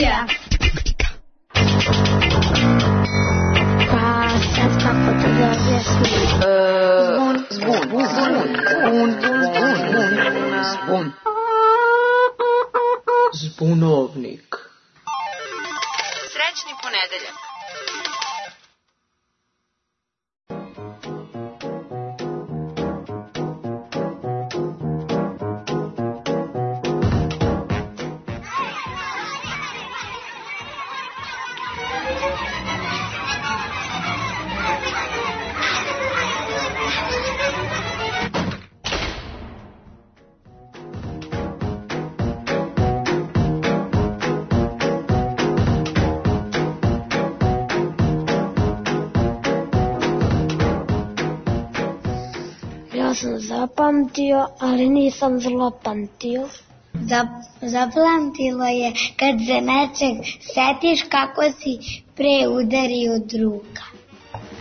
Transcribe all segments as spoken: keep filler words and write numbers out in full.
Bandija. Pa sad kako to da objasnim? Zvon, zvon, zvon, zvon, zvon, zvon, zbunovnik. Srećni ponedeljak. Ja sam zapamtio, ali nisam zlopamtio. Zapamtilo je kad se nečeg setiš kako si pre udario druga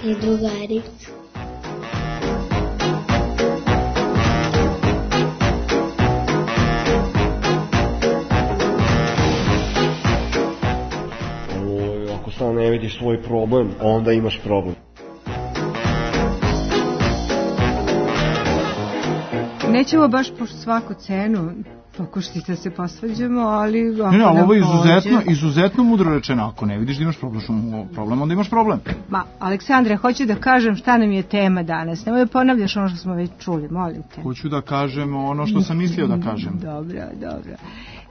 i drugaricu. O, ako samo ne vidiš svoj problem, onda imaš problem. Nećemo baš po svaku cenu pokušati da se posvađamo, ali ako ne, ne, nam ovo je izuzetno, pođe... izuzetno mudro rečeno. Ako ne vidiš da imaš problem, onda imaš problem. Ma, Aleksandre, hoću da kažem šta nam je tema danas. Nemoj da ponavljaš ono što smo već čuli, molim te. Hoću da kažem ono što sam mislio da kažem. Dobro, dobro.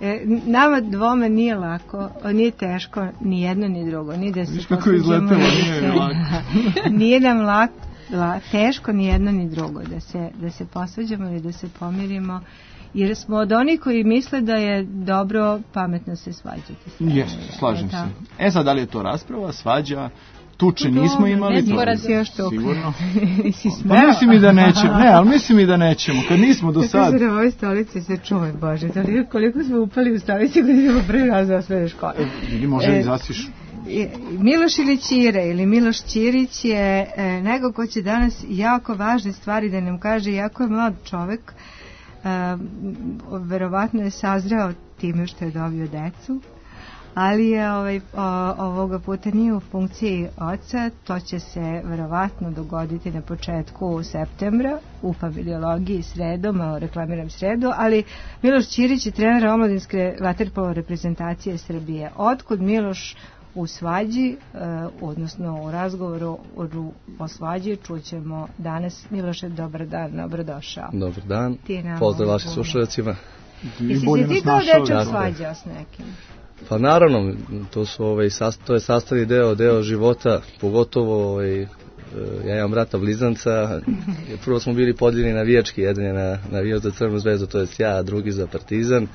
E, nama dvome nije lako, nije teško, ni jedno ni drugo. Ni da se viš kako je izletelo, nije se... lako. Nije nam lako. La, teško ni jedno ni drugo da se, da se posvađamo ili da se pomirimo, jer smo od onih koji misle da je dobro pametno se svađati. Jeste, slažem se. E sad, da li je to rasprava, svađa, tuče nismo imali? Ne sporazi još to. Sigurno. Pa mislim i da nećemo, ne, ali mislim i da nećemo, kad nismo do sad. Kako se na ovoj stolici se čuvaj, Bože, koliko smo upali u stolici kad idemo prvi raz za osnovne škole. Ili može i zasiš. Miloš ili Ćire ili Miloš Ćirić je e, nego ko će danas jako važne stvari da nam kaže, jako je mlad čovek, e, verovatno je sazreo time što je dobio decu, ali je ovaj, o, ovoga puta nije u funkciji oca, to će se verovatno dogoditi na početku septembra u familiologiji sredom, malo reklamiram sredu, ali Miloš Ćirić je trener omladinske vaterpolo reprezentacije Srbije. Otkud Miloš u svađi, eh, odnosno u razgovoru o, o svađi čućemo danas. Miloše, dobar dan, dobrodošao. Dobar dan, pozdrav vašim slušalicima. Jesi si ti kao dečak svađao s nekim? Pa naravno, to, su, ovaj, sast, to je sastavni deo, deo života, pogotovo ovaj, ja imam brata blizanca, prvo smo bili podijeljeni navijački, jedan je na, navijač za Crvenu zvezdu, to je ja, a drugi za Partizan.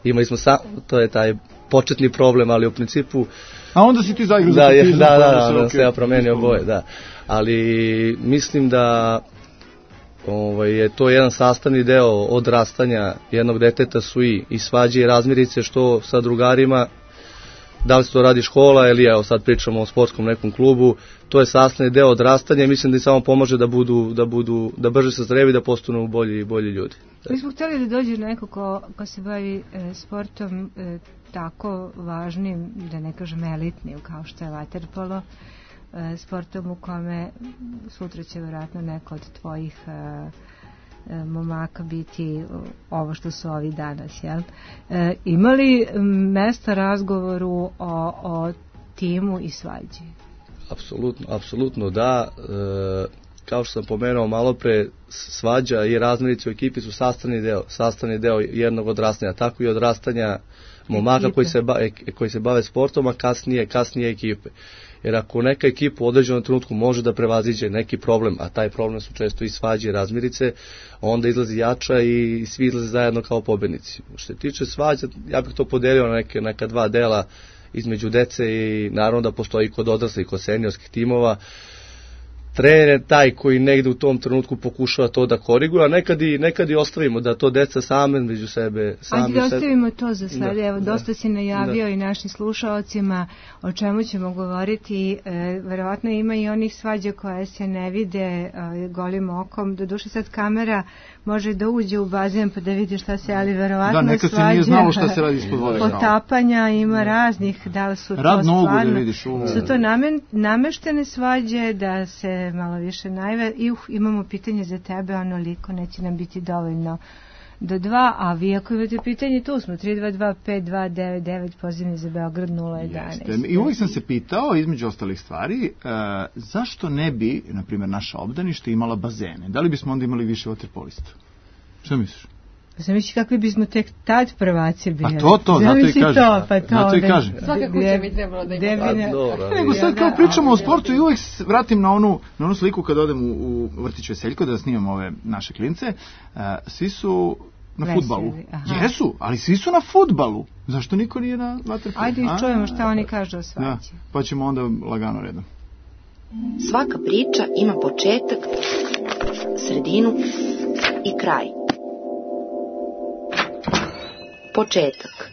Imali smo sam, to je taj početni problem, ali u principu... A onda si ti zaigrao za da, Partizan? Da, da, da, onda se ja promenio boje, da. Ali mislim da ovaj, je to jedan sastavni deo odrastanja jednog deteta, su i, i svađe i razmirice, što sa drugarima, da li se to radi škola ili evo sad pričamo o sportskom nekom klubu, to je sastavni deo odrastanja i mislim da im samo pomaže da budu, da budu, da brže se zrevi, da postanu bolji, bolji ljudi. Mi smo htjeli da dođe neko ko, ko se bavi e, sportom e, tako važnim, da ne kažem elitnim, kao što je vaterpolo, e, sportom u kome sutra će vjerojatno neko od tvojih e, e, momaka biti ovo što su ovi danas, jel? E, ima li mesta razgovoru o, o timu i svađi? Apsolutno, apsolutno da. E, kao što sam pomenuo malo pre, svađa i razmirice u ekipi su sastavni deo, sastavni deo jednog odrastanja, tako i odrastanja momaka koji se, ba, koji se bave sportom, a kasnije, kasnije ekipe. Jer ako neka ekipa u određenom trenutku može da prevaziđe neki problem, a taj problem su često i svađe i razmirice, onda izlazi jača i svi izlaze zajedno kao pobednici. Što se tiče svađa, ja bih to podelio na neke, neka dva dela između dece i naravno da postoji kod odraslih, kod seniorskih timova. trener je taj koji negde u tom trenutku pokušava to da koriguje, a nekad i, nekad i ostavimo da to deca same među sebe... Sami Ajde da ostavimo to za sad. Da, Evo, dosta da, si najavio da. i našim slušaocima o čemu ćemo govoriti. E, verovatno ima i onih svađa koje se ne vide e, golim okom. Doduše sad kamera može da uđe u bazen pa da vidi šta se, ali verovatno da, nekad svađa... se nije znalo šta se radi ispod vode. Potapanja ima raznih, da li su Rad to nogu stvarno... da vidiš. U... Su to namen, nameštene svađe da se malo više najve... I uh, imamo pitanje za tebe, onoliko neće nam biti dovoljno do dva, a vi ako imate pitanje, tu smo, tri dva dva pet dva devet devet, pozivni za Beograd nula jedanaest. Jeste. I uvijek sam se pitao, između ostalih stvari, uh, zašto ne bi, na primjer, naša obdanište imala bazene? Da li bismo onda imali više vaterpolista? Što misliš? Zamisli kakvi bismo tek tad prvaci bili. Pa to, to, zato i kažem. To, pa to, zato i kažem. Svaka kuća bi trebalo da ima. Pa, dobro, Nego sad kao pričamo o sportu i uvijek se vratim na onu, na onu sliku kad odem u, u vrtić Veseljko da snimam ove naše klince. Uh, svi su na Veseli, fudbalu. aha. Jesu, ali svi su na fudbalu. Zašto niko nije na vaterpolu? Ajde čujemo šta oni kažu o svađi. Da, pa ćemo onda lagano redom. Svaka priča ima početak, sredinu i kraj. Početak.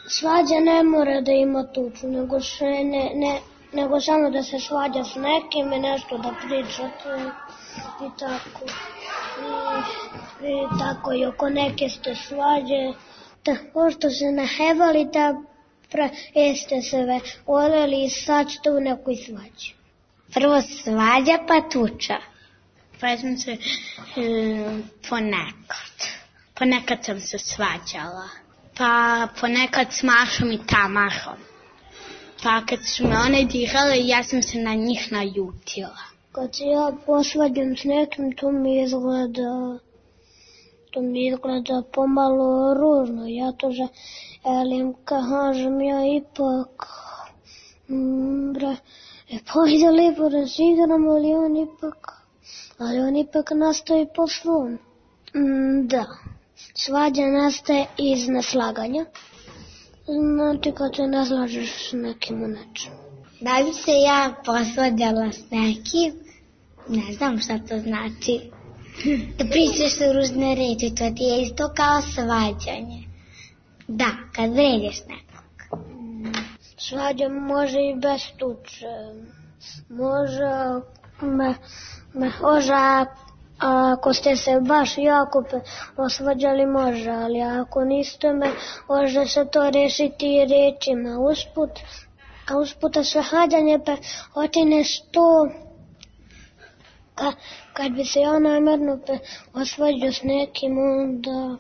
Svađa ne mora da ima tuču, nego, še ne, ne, nego samo da se svađa s nekim i nešto da pričate i tako. I, i tako i oko neke ste svađe. Da, pošto se nahevali da pra, jeste se ve voljeli i sad ste u nekoj svađi. Prvo svađa pa tuča. Pa sam se e, ponekad. Ponekad sam se svađala. Pa ponekad s Mašom i Tamarom. Pa kad su me one dirale, ja sam se na njih naljutila. Kad se ja posvađam s nekim, to mi izgleda, to mi izgleda pomalo ružno. Ja to želim, kažem ja ipak, mm, bre, e, pa ide lijepo da se igramo, ali on ipak, ali on ipak nastaje po svom. Mm, da, svađa nastaje iz neslaganja. Znači kad se ne slažeš s nekim u nečemu. Da bi se ja posvađala s nekim, ne znam šta to znači. Da pričaš su ružne reči, to ti je isto kao svađanje. Da, kad vređaš nekog. Svađa može i bez tuče. Može, me, me, može, ako ste se baš jako osvađali može, ali ako niste me, može se to rešiti i rečima. Usput, a usputa svađanje pa otineš to, ka, kad bi se ja namjerno osvađao s nekim, onda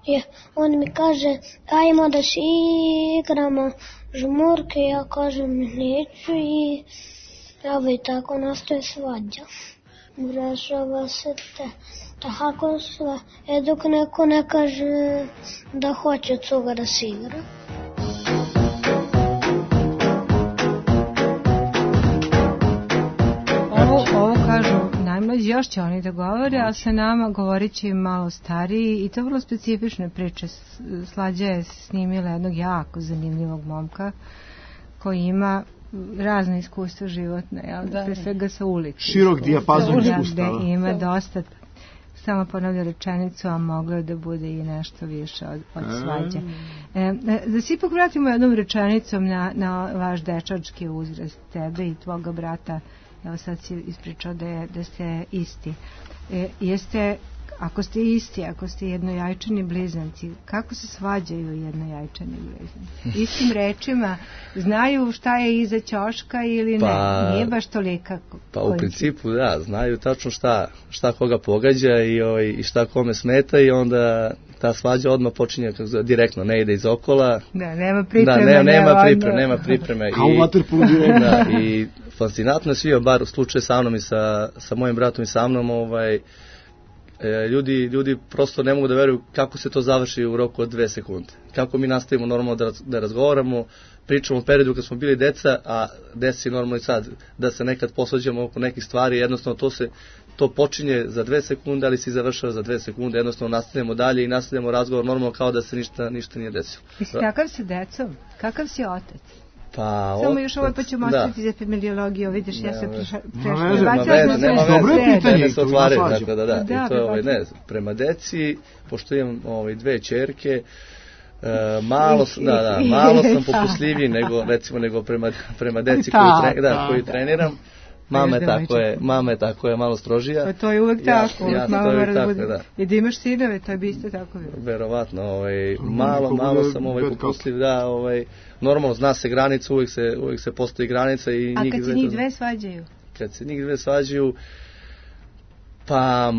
je, on mi kaže, ajmo da se igramo žmurke, ja kažem neću i evo i tako nastaje svađa. Rešava se te, tako sve, e dok neko ne kaže da hoće cuga da se igra. Ovo, ovo kažu najmlađi, još će oni da govore, a sa nama govorit će malo stariji i to vrlo specifične priče. Slađa je snimila jednog jako zanimljivog momka koji ima razne iskustva životne, jel? Da, pre svega sa ulici. Širok dijapazon iskustava. Da, ima dosta, samo ponavlja rečenicu, a moglo je da bude i nešto više od, od svađe. E, da se ipak vratimo jednom rečenicom na, na vaš dečački uzrast, tebe i tvoga brata. Evo sad si ispričao da, je, da ste isti. E, jeste, ako ste isti, ako ste jednojajčani blizanci, kako se svađaju jednojajčani blizanci? Istim rečima, znaju šta je iza ćoška ili pa, ne? Nije baš tolika. Pa u principu da, znaju tačno šta, šta koga pogađa i, ovaj, i šta kome smeta i onda ta svađa odmah počinje direktno, ne ide iz okola. Da, nema pripreme. Da, ne, nema pripreme, nema pripreme. Kao u vaterpolu direktno. Da, i fascinantno je svio, bar u slučaju sa mnom i sa, sa mojim bratom i sa mnom, ovaj, e, ljudi, ljudi prosto ne mogu da veruju kako se to završi u roku od dve sekunde. Kako mi nastavimo normalno da, da razgovaramo, pričamo o periodu kad smo bili deca, a desi normalno i sad, da se nekad posvađamo oko nekih stvari, jednostavno to se to počinje za dve sekunde, ali se završava za dve sekunde, jednostavno nastavljamo dalje i nastavljamo razgovor normalno kao da se ništa, ništa nije desilo. Mislim, kakav si decom? Kakav si otac? Pa, Samo od, još ovo pa ćemo da. ostaviti za familiologiju, vidiš, ja sam prešla. Nema veze, nema veze, nema veze. Dobro je pitanje, Ne se otvaraju, tako da, da. Da, I to je, ovaj, ne, prema deci, pošto imam ovaj, dve ćerke, e, malo, da, da, malo sam popustljiviji nego, recimo, nego prema, prema deci koju, tre, da, koju treniram. Mama je tako je, mama je tako je malo strožija. Pa to je uvek tako, ja, uvek ja, mama mora da bude. Da. I da imaš sinove, to je bi isto tako. Verovatno, ovaj, malo, malo sam ovaj, popustljiv, da, ovaj, normalno, zna se granica, uvijek se, uvijek se postoji granica. I A kad se njih dve svađaju? Kad se njih dve svađaju, pa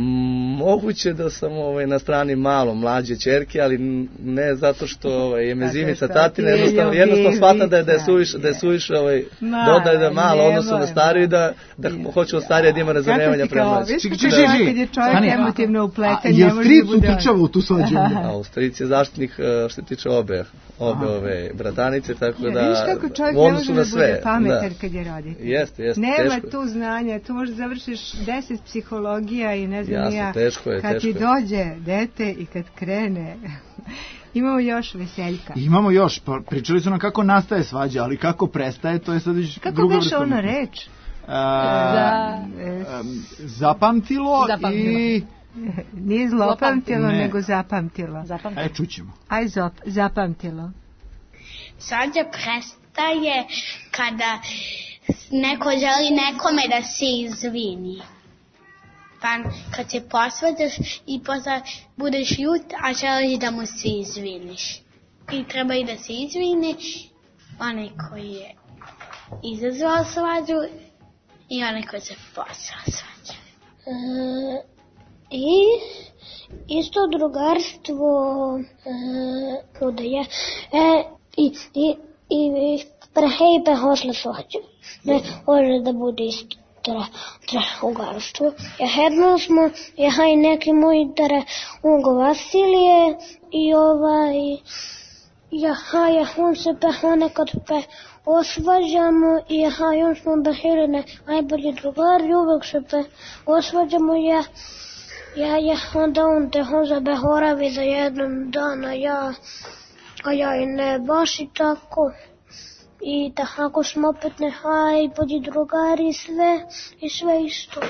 moguće da sam ovaj, na strani malo mlađe ćerke, ali ne zato što ovaj, je mezimica tatina, jednostavno, jednostavno shvatam da je, da je suviše, da je suviše ovaj, dodaje da malo odnosno na stariju i da, da hoće od starije da ima razumevanja prema mlađe. Čekaj, čekaj, kad je čovjek emotivno upletan, ne može da bude... Jel stric uključava u tu svađu? A u stric je zaštitnik što se tiče obe, obe ove bratanice, tako da vidiš kako čovjek ne može da bude pametan kad je roditelj. Jeste, jeste, nema teško. tu znanja, tu možeš završiš deset psihologija i ne znam Jasno, ja, teško je, kad teško ti dođe dete i kad krene. Imamo još veseljka. Imamo još, pa pričali su nam kako nastaje svađa, ali kako prestaje, to je sad već druga vrsta. Kako beše ona reč? A, Za... um, zapamtilo, zapamtilo i... Nije zlopamtilo, ne. nego zapamtilo. zapamtilo. E, čućemo. Aj, zop, zapamtilo. Svađa prestaje kada neko želi nekome da se izvini. Pa kad se posvađaš i posle budeš ljut, a želiš da mu se izviniš. I treba i da se izvini onaj koji je izazvao svađu i onaj koji se posvao svađu. E, I isto drugarstvo e, kuda je e, i, i, i prehej behosle svađu. Ne može da bude isto. Ugarstvo. Ja hedno smo, ja haj neki moji dare ugo Vasilije i ovaj, ja haj, on se pe nekad pe osvađamo i ja haj, on smo behirene najbolji drugari, uvek se pe osvađamo, ja, ja, ja, onda on te on za behoravi za jednom dana, ja, a ja i ne baš i tako. I tako smo opet nehaj, budi drugari i sve, i sve isto.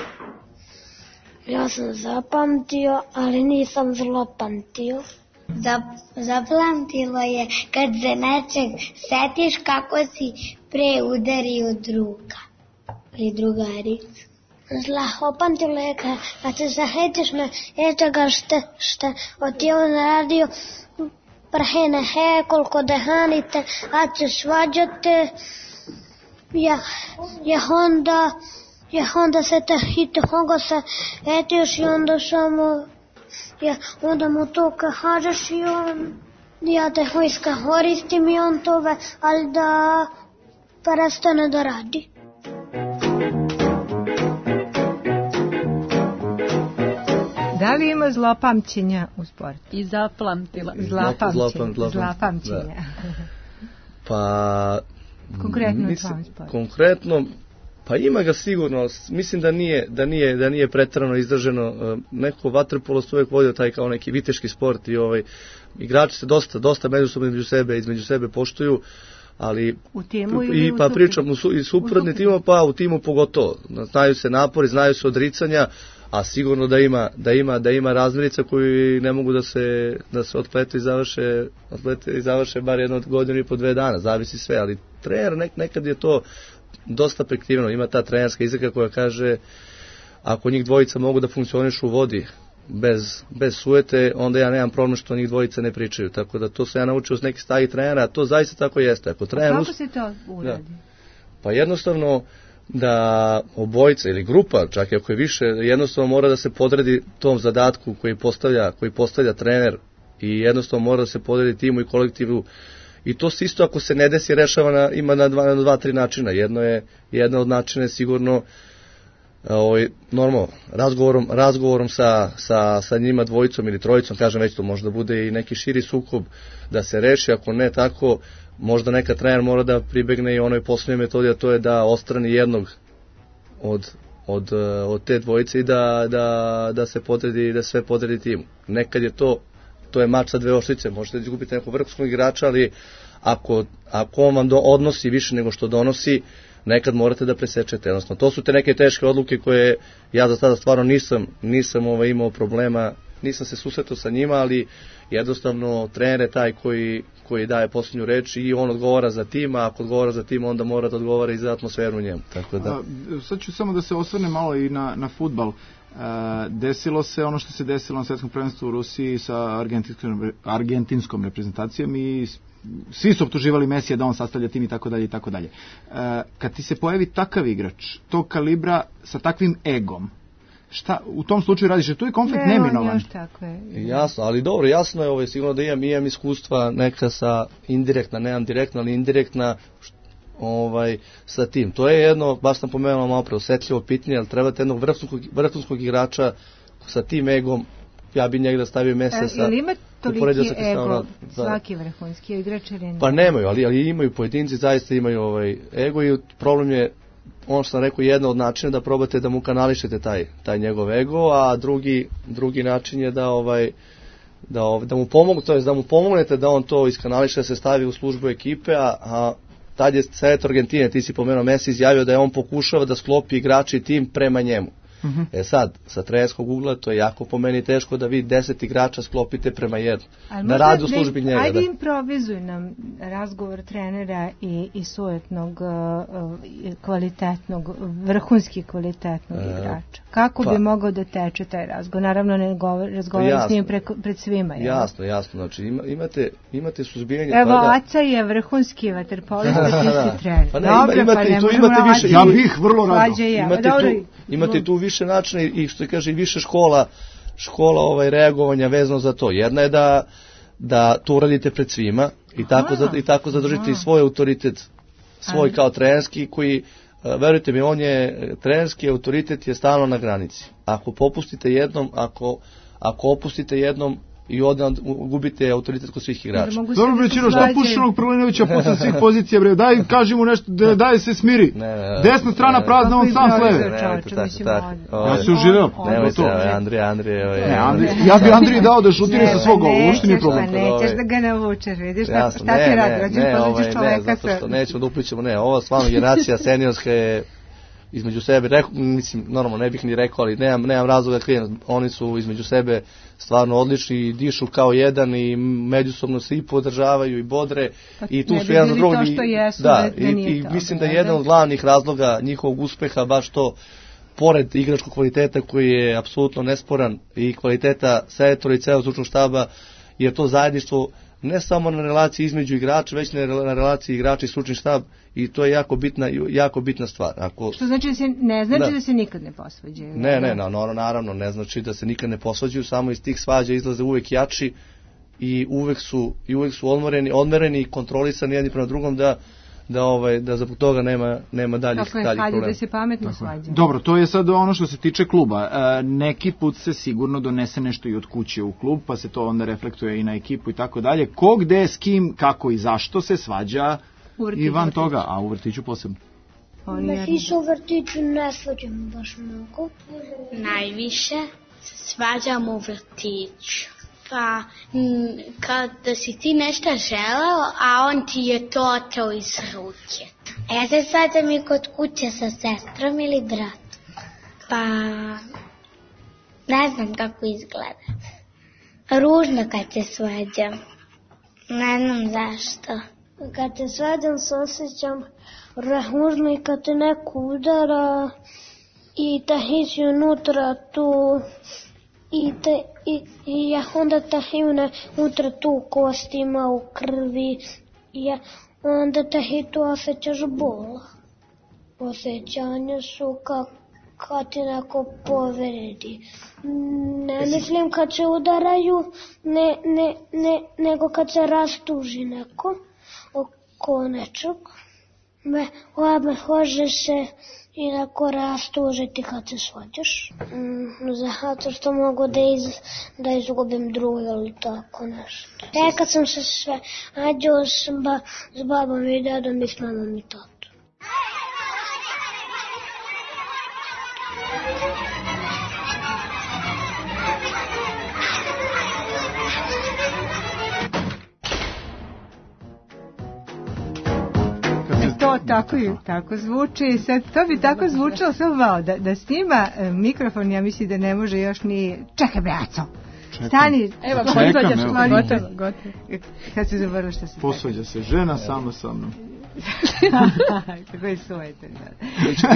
Ja sam zapamtio, ali nisam zlopamtio. Zap, zapamtilo je kad se nečeg setiš kako si pre udario druga ili drugaricu. Zlopamtilo je kad, kad se zahetiš me nečega što, što od ti on radio, prehene he, koliko dehanite, a će svađate, ja, ja onda, ja onda se te hite, honga se etiš i onda samo, ja, onda mu to kažeš i on, ja te hojska koristim i on tove, ali da prestane da radi. Da li ima zlopamćenja u sportu? I zapamtila. Zlopamćenja. Zlopamćenja. Pa... Konkretno u tvom sportu? Konkretno, pa ima ga sigurno. Mislim da nije, da nije, da nije preterano izraženo. Neko vaterpolo se uvijek vodio taj kao neki viteški sport i ovaj, igrači se dosta, dosta međusobno između sebe, između sebe poštuju. Ali u timu ili i, u pa pričam u, i suprotni timu, pa u timu pogotovo. Znaju se napori, znaju se odricanja, a sigurno da ima da ima da ima razmirica koji ne mogu da se da se otplete i završe otplete i završe bar jedno godinu i po dve dana, zavisi sve, ali trener nek, nekad je to dosta prekriveno. Ima ta trenerska izreka koja kaže ako njih dvojica mogu da funkcionišu u vodi bez bez sujete, onda ja nemam problem što njih dvojica ne pričaju. Tako da to se ja naučio od nekih starih trenera, a to zaista tako jeste. Ako trener kako se to uradi? Da, pa jednostavno da obojica ili grupa, čak i ako je više, jednostavno mora da se podredi tom zadatku koji postavlja, koji postavlja trener i jednostavno mora da se podredi timu i kolektivu. I to se isto ako se ne desi rešava na, ima na dva, na dva, tri načina. Jedno je, jedna od načina je sigurno ovaj, normalno, razgovorom, razgovorom sa, sa, sa njima dvojicom ili trojicom, kažem već to možda bude i neki širi sukob da se reši, ako ne tako, možda neka trener mora da pribegne i onoj poslednjoj metodi, a to je da ostrani jednog od, od, od te dvojice i da, da, da se podredi, da sve podredi timu. Nekad je to, to je mač sa dve oštrice, možete izgubiti nekog vrhunskog igrača, ali ako, ako on vam do, odnosi više nego što donosi, nekad morate da presečete. Jednostavno, to su te neke teške odluke koje ja za sada stvarno nisam, nisam ovaj, imao problema, nisam se susretao sa njima, ali jednostavno trener je taj koji, koji daje posljednju reč i on odgovara za tim, a ako odgovara za tim, onda mora da odgovara i za atmosferu u njemu. Tako da. A, sad ću samo da se osvrne malo i na, na fudbal. E, desilo se ono što se desilo na svetskom prvenstvu u Rusiji sa argentinskom, argentinskom reprezentacijom i svi su optuživali Mesija da on sastavlja tim i tako dalje i tako dalje. E, kad ti se pojavi takav igrač, tog kalibra sa takvim egom, šta u tom slučaju radiš? Je tu i konflikt ne, neminovan? Još tako je. Jasno, ali dobro, jasno je ovo, sigurno da imam, imam iskustva neka sa indirektna, nemam direktna, ali indirektna ovaj, sa tim. To je jedno, baš sam pomenuo malo pre, osetljivo pitanje, ali trebate jednog vrhunskog, vrhunskog igrača sa tim egom, ja bi njega da stavio Mesija sa... Ili ima toliki ego svaki vrhunski igrač ili ne? Pa nemaju, ali, ali imaju pojedinci, zaista imaju ovaj ego i problem je, ono što sam rekao, jedna od načina da probate da mu kanališete taj, taj njegov ego, a drugi, drugi način je da ovaj da, ovaj, da mu pomogu, to jest da mu pomognete da on to iskanališe, da se stavi u službu ekipe, a, a tad je selektor Argentine, ti si pomenuo, Messi izjavio da je on pokušava da sklopi igrači i tim prema njemu. Uh-huh. E sad, sa trenerskog ugla to je jako po meni teško da vi deset igrača sklopite prema jednu. Da radi u službi njega. Ajde da. improvizuj nam razgovor trenera i, i sujetnog uh, kvalitetnog, vrhunski kvalitetnog e, igrača. Kako pa, bi mogao da teče taj razgovor? Naravno ne govor, razgovor s njim preko, pred svima. Je. Jasno, jasno. Znači ima, imate, imate suzbijanje... Evo, pa, Aca je vrhunski vaterpolista, ti si trener. Pa ne, Dobre, imate, pa ne tu imate više, ja bih vrlo rado. Ja. Imate, Dobro, tu, imate tu više načina i što kaže i više škola škola ovaj reagovanja vezano za to. Jedna je da da to uradite pred svima i tako za, i tako zadržite i svoj autoritet, svoj kao trenerski koji verujte mi, on je trenerski autoritet je stalno na granici. Ako popustite jednom, ako ako opustite jednom i odmah gubite autoritet kod svih igrača. Dobro bre, Čiro, šta pušiš onog Prlinovića posle svih pozicija, bre? Daj, kaži mu nešto, da, daj se smiri. Ne, ne, Desna strana ne, prazna, on sam s leve. Ja se uživao. Nemojte, Andrija, Andrija. Ne, Andrija, ja bi Andriji dao da šutira sa svog gola, uopšte nije problem. Nećeš da ga navučeš, vidiš šta ti radi, rođeš poziđeš čoveka. Ne, zato što nećemo da uplićemo, ne, ova stvarno generacija seniorska je između sebe, rekao, mislim, normalno ne bih ni rekao, ali nemam, nemam razloga da krijem, oni su između sebe stvarno odlični i dišu kao jedan i međusobno se i podržavaju i bodre pa, i tu su jedan za drugog i, da, i, i mislim da je jedan od glavnih razloga njihovog uspeha baš to, pored igračkog kvaliteta koji je apsolutno nesporan i kvaliteta selektora i celog stručnog štaba, jer to zajedništvo ne samo na relaciji između igrača, već na relaciji igrača i stručni štab i to je jako bitna, jako bitna stvar. Ako, što znači da se ne znači da, da se nikad ne posvađaju? Ne, ne, no, no, naravno ne znači da se nikad ne posvađaju, samo iz tih svađa izlaze uvek jači i uvek su, i uvek su odmereni, odmereni i kontrolisani jedni prema drugom da da ovaj da zbog toga nema nema daljih daljih problema. Kako je da se pametno svađaju. Dobro, to je sad ono što se tiče kluba. E, neki put se sigurno donese nešto i od kuće u klub, pa se to onda reflektuje i na ekipu i tako dalje. Ko, gde, s kim, kako i zašto se svađa i van toga, a u vrtiću posebno. Mi se u vrtiću ne svađamo baš mnogo. Najviše se svađamo u vrtiću. Pa, kada si ti nešto želeo, a on ti je to oteo iz ruke. A ja se svađam i kod kuće sa sestrom ili bratom. Pa, ne znam kako izgleda. Ružno kad se svađam. Ne znam zašto. Kad se svađam se osjećam ružno i kad te neko udara i tahići unutra tu... I, te, i, i ja onda tahiju unutra tu kostima u krvi i ja onda tahi tu osjećaš bol. Osjećanja su ka, kad ti neko povredi. Ne mislim kad se udaraju, ne, ne, ne, nego kad se rastuži neko oko nečeg. Me, me hože se i tako rastužiti kad se svađaš. Mm, zato što mogu da, iz, da izgubim drugo ili tako nešto. E, kad sam se sve ađao s, ba, s babom i dedom i s mamom i tatom. to tako, tako zvuči. Sad, to bi tako zvučalo samo malo. Da, da snima e, mikrofon, ja mislim da ne može još ni... Čekaj, braco! Stani! Evo, Čekam, evo. Gotovo, gotovo. Kad se zaboravio što se... Posvađa se žena sama sa mnom. Kako je sujetan.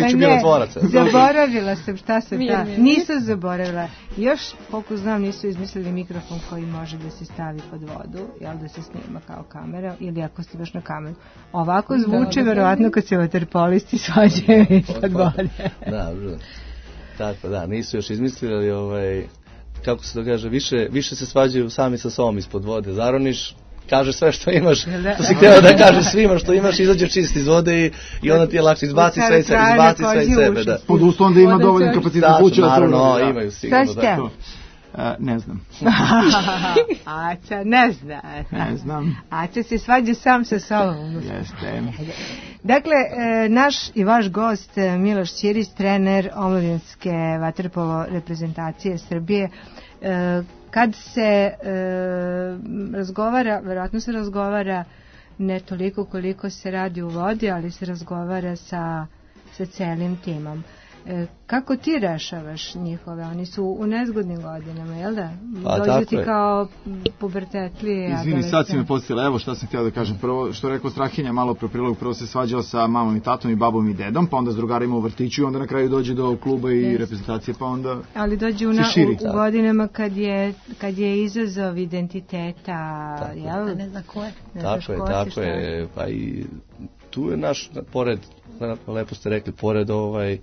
Neću bilo tvoraca. Zaboravila sam šta se Mir, da. mir. Nisam zaboravila. Još, koliko znam, nisu izmislili mikrofon koji može da se stavi pod vodu, jel da se snima kao kamera, ili ako ste baš na kameru. Ovako zvuči, Da, da. verovatno, kad se vaterpolisti svađaju ispod vode. Da, da. Tako, da, nisu još izmislili, ali ovaj, kako se to kaže, više, više se svađaju sami sa sobom ispod vode. Zaroniš, kaže sve što imaš, to si htjela da kaže svima što imaš, izađe čist iz vode i, i onda ti je lakše, izbaci sve iz sebe, izbaci sve iz sebe, da. Pod uslovom da ima dovoljno kapacitet kuće. Naravno, imaju sigurno. Šta ste? Da. Ne znam. Aca, ne zna. Ne znam. Aca se svađa sam sa sobom. Jeste. Dakle, e, naš i vaš gost e, Miloš Ćirić, trener omladinske vaterpolo reprezentacije Srbije, e, kad se e, razgovara, verovatno se razgovara ne toliko koliko se radi u vodi, ali se razgovara sa, sa celim timom. E, kako ti rešavaš njihove? Oni su u nezgodnim godinama, jel da? Pa, dođu ti je. kao pubertetli. Izvini, sad si me podsjetila, evo šta sam htjela da kažem. Prvo, što je rekao Strahinja malo pre prilog, prvo se svađao sa mamom i tatom i babom i dedom, pa onda s drugarima u vrtiću i onda na kraju dođe do kluba i yes. reprezentacije, pa onda ali dođe u, na, u, u godinama kad je, kad je izazov identiteta, tako jel? Ne zna ko je. Ne tako je, ko tako si, je, pa i tu je naš, pored, lepo ste rekli, pored ovaj,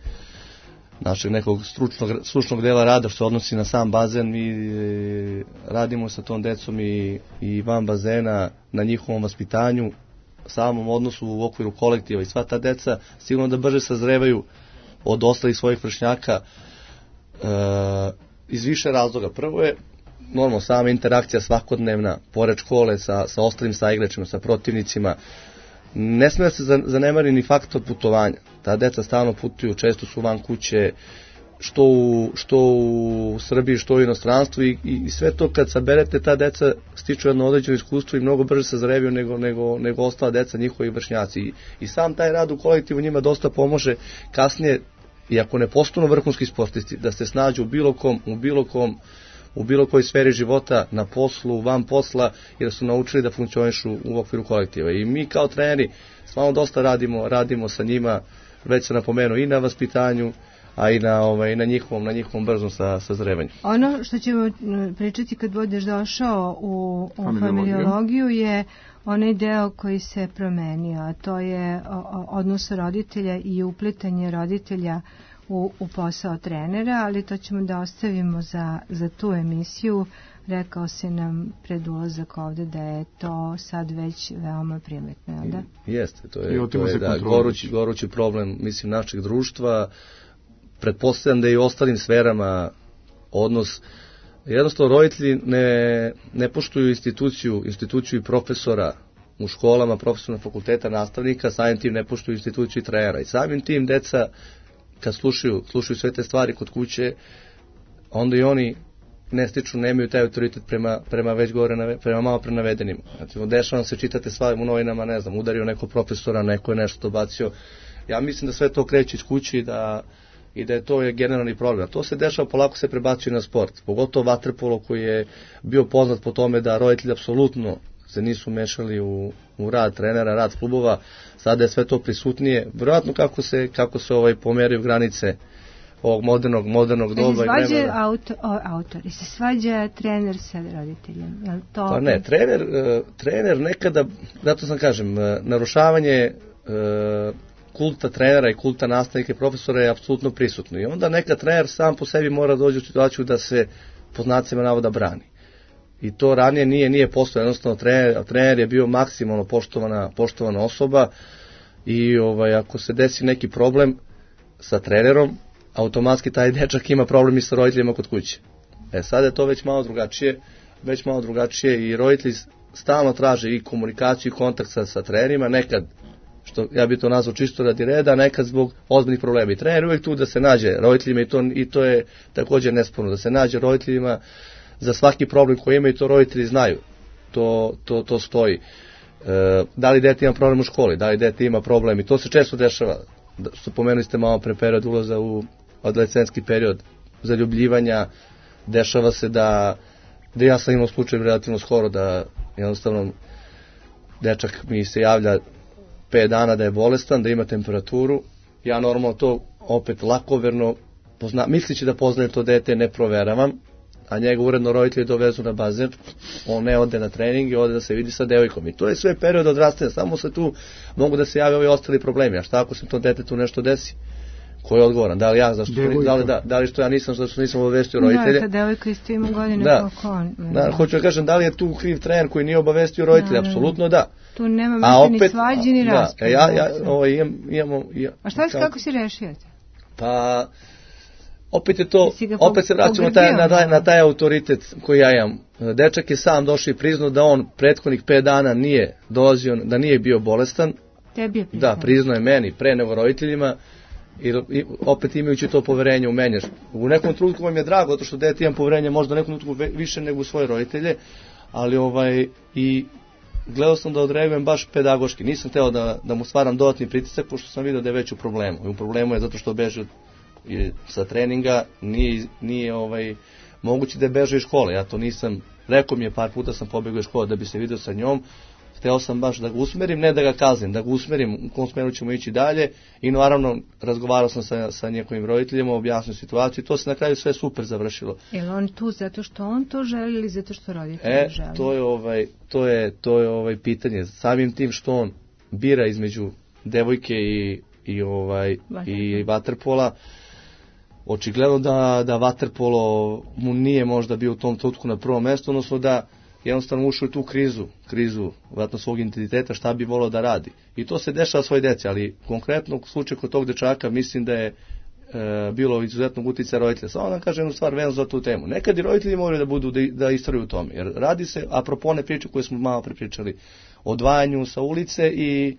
našeg nekog stručnog, stručnog dela rada što se odnosi na sam bazen, mi e, radimo sa tom decom i, i van bazena na njihovom vaspitanju, samom odnosu u okviru kolektiva i sva ta deca sigurno da brže sazrevaju od ostalih svojih vršnjaka e, iz više razloga. Prvo je normalno sama interakcija svakodnevna, pored škole sa, sa ostalim saigračima, sa protivnicima. Ne smije se zanemari ni faktor putovanja. Ta deca stalno putuju, često su van kuće, što u, što u Srbiji, što u inostranstvu i, i sve to kad saberete, ta deca stiču jedno određeno iskustvo i mnogo brže se zreviju nego, nego, nego ostala deca, njihovi vršnjaci. I, I sam taj rad u kolektivu njima dosta pomože kasnije, iako ne postanu vrhunski sportisti, da se snađu u bilo kom, u bilo kom u bilo kojoj sferi života, na poslu, van posla, jer su naučili da funkcionišu u okviru kolektiva. I mi kao treneri stvarno dosta radimo, radimo sa njima, već se napomenuo i na vaspitanju, a i na, ovaj, na njihovom, na njihovom brzom sa, sazrevanju. Ono što ćemo pričati kad budeš došao u, u familiologiju je onaj deo koji se promenio, a to je odnos roditelja i uplitanje roditelja U, u posao trenera, ali to ćemo da ostavimo za, za tu emisiju. Rekao si nam pred ulazak ovde da je to sad već veoma primetno, jel da? Jeste, to je, to je da, gorući, gorući problem, mislim, našeg društva. Pretpostavljam da je i u ostalim sferama odnos. Jednostavno, roditelji ne, ne poštuju instituciju, instituciju i profesora u školama, profesora fakulteta, nastavnika, samim tim ne poštuju instituciju i trenera. I samim tim deca kad slušaju, slušaju sve te stvari kod kuće, onda i oni ne stiču, nemaju taj autoritet prema, prema već gore, prema malo prenavedenim. Znači, dešava se, čitate stvari u novinama, ne znam, udario neko profesora, neko je nešto dobacio. Ja mislim da sve to kreće iz kuće i da, i da je to je generalni problem. A to se dešava, polako se prebacuje na sport. Pogotovo vaterpolo koji je bio poznat po tome da roditelji apsolutno se nisu mešali u, u rad trenera, rad klubova. Sada je sve to prisutnije. Vjerojatno kako se, kako se ovaj pomeraju granice ovog modernog, modernog doba. Se svađa auto, autori, se svađa trener sa roditeljem. Je li to... Pa ne, trener, trener nekada, zato sam kažem, narušavanje kulta trenera i kulta nastavnika i profesora je apsolutno prisutno. I onda neka trener sam po sebi mora doći u situaciju da se po znacima navoda brani. I to ranije nije nije postojalo, jednostavno trener, trener je bio maksimalno poštovana, poštovana osoba i ovaj, ako se desi neki problem sa trenerom, automatski taj dečak ima problem i sa roditeljima kod kuće. E sad je to već malo drugačije, već malo drugačije i roditelji stalno traže i komunikaciju i kontakt sa, sa trenerima, nekad, što ja bih to nazvao čisto radi reda, nekad zbog ozbiljnih problema. I trener je uvijek tu da se nađe roditeljima i to, i to je također nesporno, da se nađe roditeljima za svaki problem koji imaju, to roditelji znaju. To, to, to stoji. E, da li dete ima problem u školi, da li dete ima problem, i to se često dešava. Da, što pomenuli ste malo pre period ulaza u adolescentski period zaljubljivanja, dešava se da, da ja sam imao slučaj relativno skoro da jednostavno dečak mi se javlja pet dana da je bolestan, da ima temperaturu, ja normalno to opet lakoverno pozna, mislići da poznaje to dete, ne proveravam, a njega uredno roditelji dovezu na bazen, on ne ode na trening i ode da se vidi sa devojkom. I to je sve period odrastanja, samo se tu mogu da se jave ovi ostali problemi. A šta ako se to detetu nešto desi? Ko je odgovoran? Da li ja, zašto, da li, da, da li što ja nisam, zašto nisam obavestio roditelje? Da, ta devojka isto ima godine da. kako on. Da, hoću da kažem, da li je tu kriv trener koji nije obavestio roditelje? Da, apsolutno da. Tu nema više ni svađe ni rasprave. Da, ja, ja, ovo, imam, imamo, ja, a šta je, kako si rešio? Pa... Opet je to, opet se vraćamo taj, na, taj, na taj autoritet koji ja imam. Dečak je sam došao i priznao da on prethodnih pet dana nije dolazio, da nije bio bolestan. Tebi je priznao. Da, priznao je meni, pre nego roditeljima. I, i opet imajući to poverenje u mene. U nekom trenutku vam je drago, zato što dete imam poverenje možda u nekom trenutku više nego u svoje roditelje, ali ovaj, i gledao sam da odreagujem baš pedagoški. Nisam hteo da, da mu stvaram dodatni pritisak, pošto sam vidio da je već u problemu. I u problemu je zato što beže i sa treninga, nije, nije ovaj, moguće da je beže iz škole. Ja to nisam, rekao mi je par puta sam pobegao iz škole da bi se vidio sa njom, hteo sam baš da ga usmerim, ne da ga kaznim, da ga usmerim u kom smeru ćemo ići dalje, i naravno razgovarao sam sa, sa njegovim roditeljima, objasnio situaciju i to se na kraju sve super završilo. Je li on tu zato što on to želi ili zato što roditelji e, želi? To je, ovaj, to, je, to je ovaj pitanje. Samim tim što on bira između devojke i, i, ovaj, i vaterpola, očigledno da, da vaterpolo mu nije možda bio u tom trenutku na prvom mjestu, odnosno da jednostavno ušao u tu krizu, krizu vratno svog identiteta, šta bi volio da radi. I to se dešava svoj deci, ali konkretno u slučaju kod tog dečaka mislim da je e, bilo izuzetnog uticaja roditelja. Samo da kažem jednu stvar vezano za tu temu. Nekad i roditelji moraju da budu da, da istraju u tome, jer radi se, apropo one priče koje smo malo prepričali, odvajanju sa ulice i,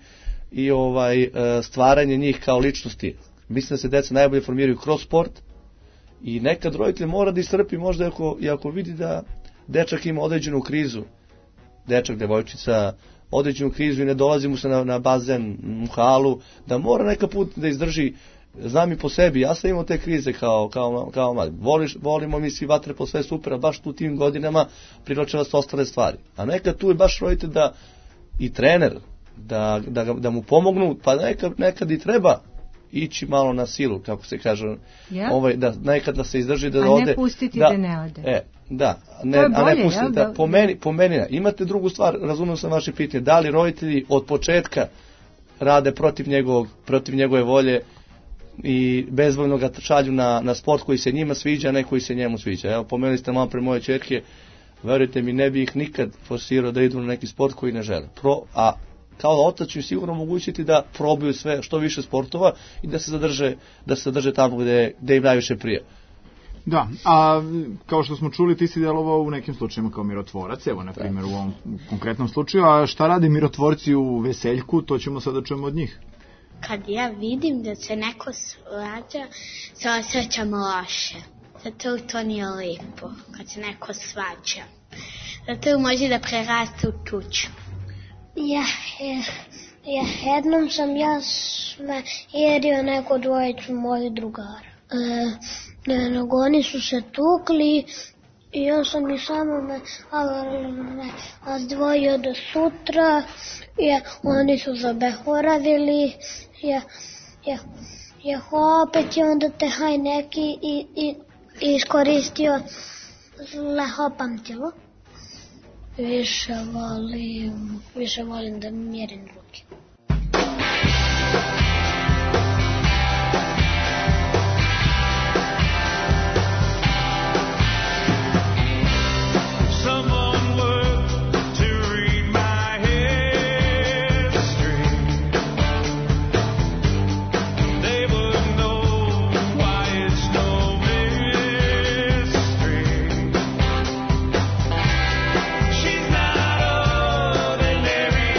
i ovaj, e, stvaranje njih kao ličnosti. Mislim da se deca najbolje formiraju kroz sport i nekad roditelj mora da istrpi možda ako, i ako vidi da dečak ima određenu krizu, dečak, devojčica, određenu krizu i ne dolazi mu se na, na bazen, u halu, da mora neka put da izdrži. Znam i po sebi, ja sam imao te krize kao, kao, kao mlad. Voliš, volimo mi svi vaterpolo, sve super, a baš tu tim godinama privlače vas ostale stvari. A nekad tu je baš roditelj da i trener, da, da, da mu pomognu, pa nekad, nekad i treba ići malo na silu, kako se kaže, yeah. ovaj, da nekad da se izdrži, da a ode. A ne pustiti da, da ne ode. E, da, ne, bolje, a ne pustiti. Ja, da, da, po, meni, po meni, imate drugu stvar, razumio sam vaše pitanje, da li roditelji od početka rade protiv, njegovog, protiv njegove volje i bezvoljno ga šalju na, na sport koji se njima sviđa, a ne koji se njemu sviđa. Evo, pomenuli ste malo pre moje ćerke, verujte mi, ne bi ih nikad forsirao da idu na neki sport koji ne žele. Pro, a kao otac ću sigurno omogućiti da probaju sve što više sportova i da se zadrže, da se zadrže tamo gde, gde im najviše prije. Da, a kao što smo čuli, ti si djelovao u nekim slučajima kao mirotvorac, evo na primjer u ovom konkretnom slučaju, a šta rade mirotvorci u Veseljku, to ćemo sada čujemo od njih. Kad ja vidim da se neko svađa, se osjećam loše. Zato to nije lijepo, kad se neko svađa. Zato može da preraste u tuču. Ja, ja, ja jednom sam ja sme jedio neko dvojicu mojih drugara. E, ne, nego oni su se tukli i ja sam i samo me razdvojio do sutra. Ja, oni su zabehoravili. Ja, ja, ja opet je onda te haj neki i, i, i iskoristio zle pamtilo. Više volim, više volim da mjerim ruke. She's not ordinary.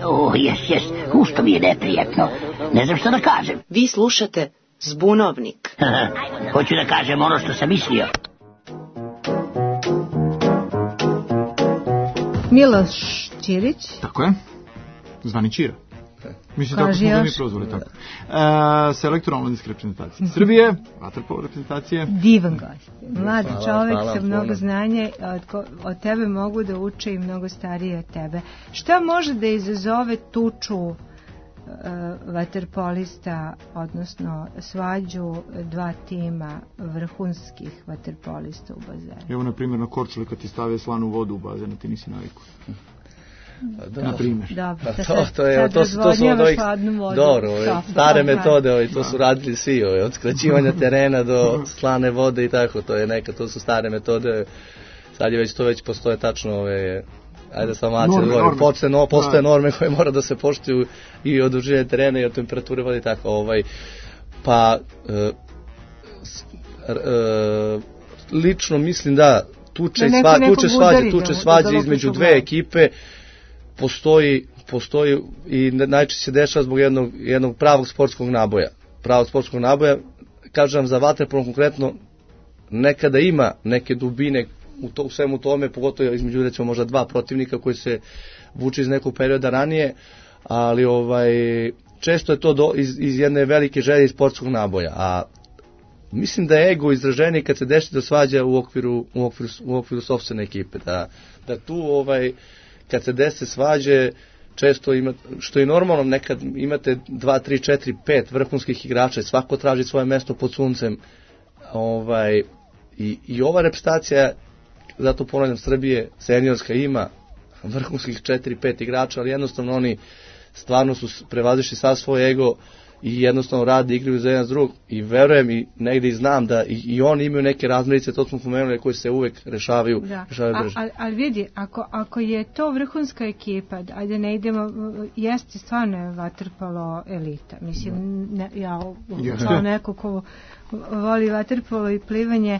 O, jes, jes, ušto mi je neprijatno. Ne znam što da kažem. Vi slušate Zbunovnik. Hoću da kažem ono što sam mislio. Miloš Ćirić. Tako je. Zvani Ćira. Mislim, tako smo ga mi prozvali, tako. E, selektor omladinske reprezentacije Srbije, vaterpolo reprezentacije. Divan gost. Mlad čovek sa mnogo znanja, od, od tebe mogu da uče i mnogo stariji od tebe. Šta može da izazove tuču uh, vaterpolista, odnosno svađu dva tima vrhunskih vaterpolista u bazenu? Evo, na primjer, na Korčuli kad ti stave slanu vodu u bazenu, ti nisi naviku. Da, na primjer. Dobro, to, to, to, je, to, su, to su od ovih, dobro, stare metode, ovi, to su radili svi, ovi, od skraćivanja terena do slane vode i tako, to je neka, to su stare metode, sad je već to već postoje tačno ove, ajde sam mače, postoje, no, postoje norme koje mora da se poštuju i od dužine terena i od temperature vode i tako, ovaj, pa e, e, lično mislim da tuče, sva, tuče svađe, tuče svađe između dve ekipe, postoji, postoji i najčešće se dešava zbog jednog, jednog pravog sportskog naboja. Pravog sportskog naboja, kažem za vaterpolo konkretno, nekada ima neke dubine u, to, u svemu tome, pogotovo između recimo možda dva protivnika koji se vuče iz nekog perioda ranije, ali ovaj često je to do, iz, iz jedne velike želje iz sportskog naboja, a mislim da je ego izraženiji kad se desi da svađa u okviru, u okviru, u okviru sopstvene ekipe, da, da tu ovaj kad se dese svađe, često ima, što je normalno, nekad imate dva, tri, četiri, pet vrhunskih igrača, svako traži svoje mesto pod suncem. Ovaj, i, i ova reprezentacija, zato ponavljam, Srbije, seniorska, ima vrhunskih četiri, pet igrača, ali jednostavno oni stvarno su prevazišli sav svoj ego i jednostavno rade, igraju za jedan s drugog i verujem i negde i znam da i, i oni imaju neke razmirice, to smo pomenuli, koje se uvek rešavaju, da. rešavaju brže. Ali al vidi, ako, ako je to vrhunska ekipa, ajde ne idemo, jeste stvarno vaterpolo elita. Mislim, ne, ja kao neko ko voli vaterpolo i plivanje,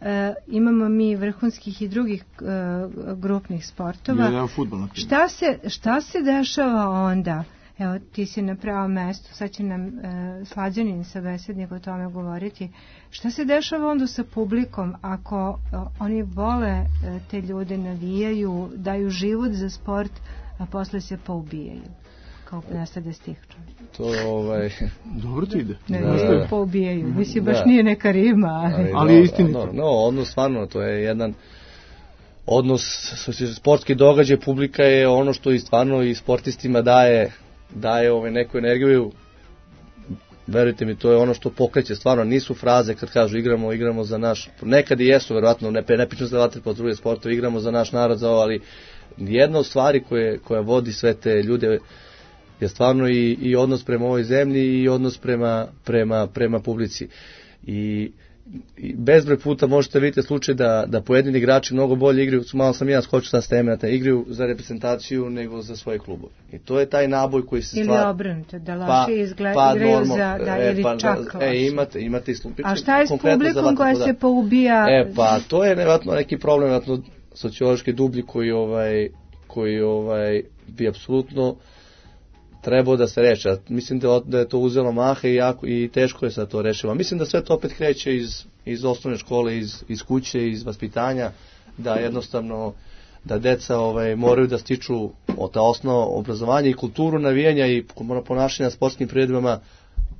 Uh, imamo mi vrhunskih i drugih uh, grupnih sportova. Ja, ja, fudbal, šta, se, šta se dešava onda? Evo, ti si na pravom mestu, sad će nam uh, Slađanin sabesednik o tome govoriti. Šta se dešava onda sa publikom ako uh, oni vole uh, te ljude, navijaju, daju život za sport, a posle se poubijaju? Kao nastade stih. To ovaj dobro ti ide. Ne, da, poubijaju. Mislim, baš da. Nije neka rima. Ali, ali je istinito. No, no, odnos stvarno, to je jedan odnos, sportski događaj, publika je ono što i stvarno i sportistima daje, daje ovaj neku energiju. Verujte mi, to je ono što pokreće, stvarno nisu fraze kad kažu igramo, igramo za naš, nekad i jesu, verovatno, ne, ne pričam za vaterpolo, druge sportove, igramo za naš narod, za ovo, ali jedna od stvari koje, koja vodi sve te ljude je stvarno i, i odnos prema ovoj zemlji i odnos prema, prema, prema publici. I, i bezbroj puta možete vidjeti slučaj da, da pojedini igrači mnogo bolje igraju, malo sam ja skočio sa teme, da igraju za reprezentaciju nego za svoje klubove. I to je taj naboj koji se stvara. Ili obrnuto, da loše izgleda, pa, igraju normal, za, da, e, ili pa, čak loše. E, imate, imate i slučaj. A šta je s publikom koja se poubija? E, pa to je nevjerojatno neki problem, nevjerojatno sociološki dublji koji, ovaj, koji ovaj, bi apsolutno trebao da se reši. Mislim da, da je to uzelo maha i, jako, i teško je sad to rešilo. Mislim da sve to opet kreće iz, iz osnovne škole, iz, iz kuće, iz vaspitanja, da jednostavno da deca ovaj, moraju da stiču ta osnova obrazovanja i kulturu navijanja i ponašanja na sportskim priredbama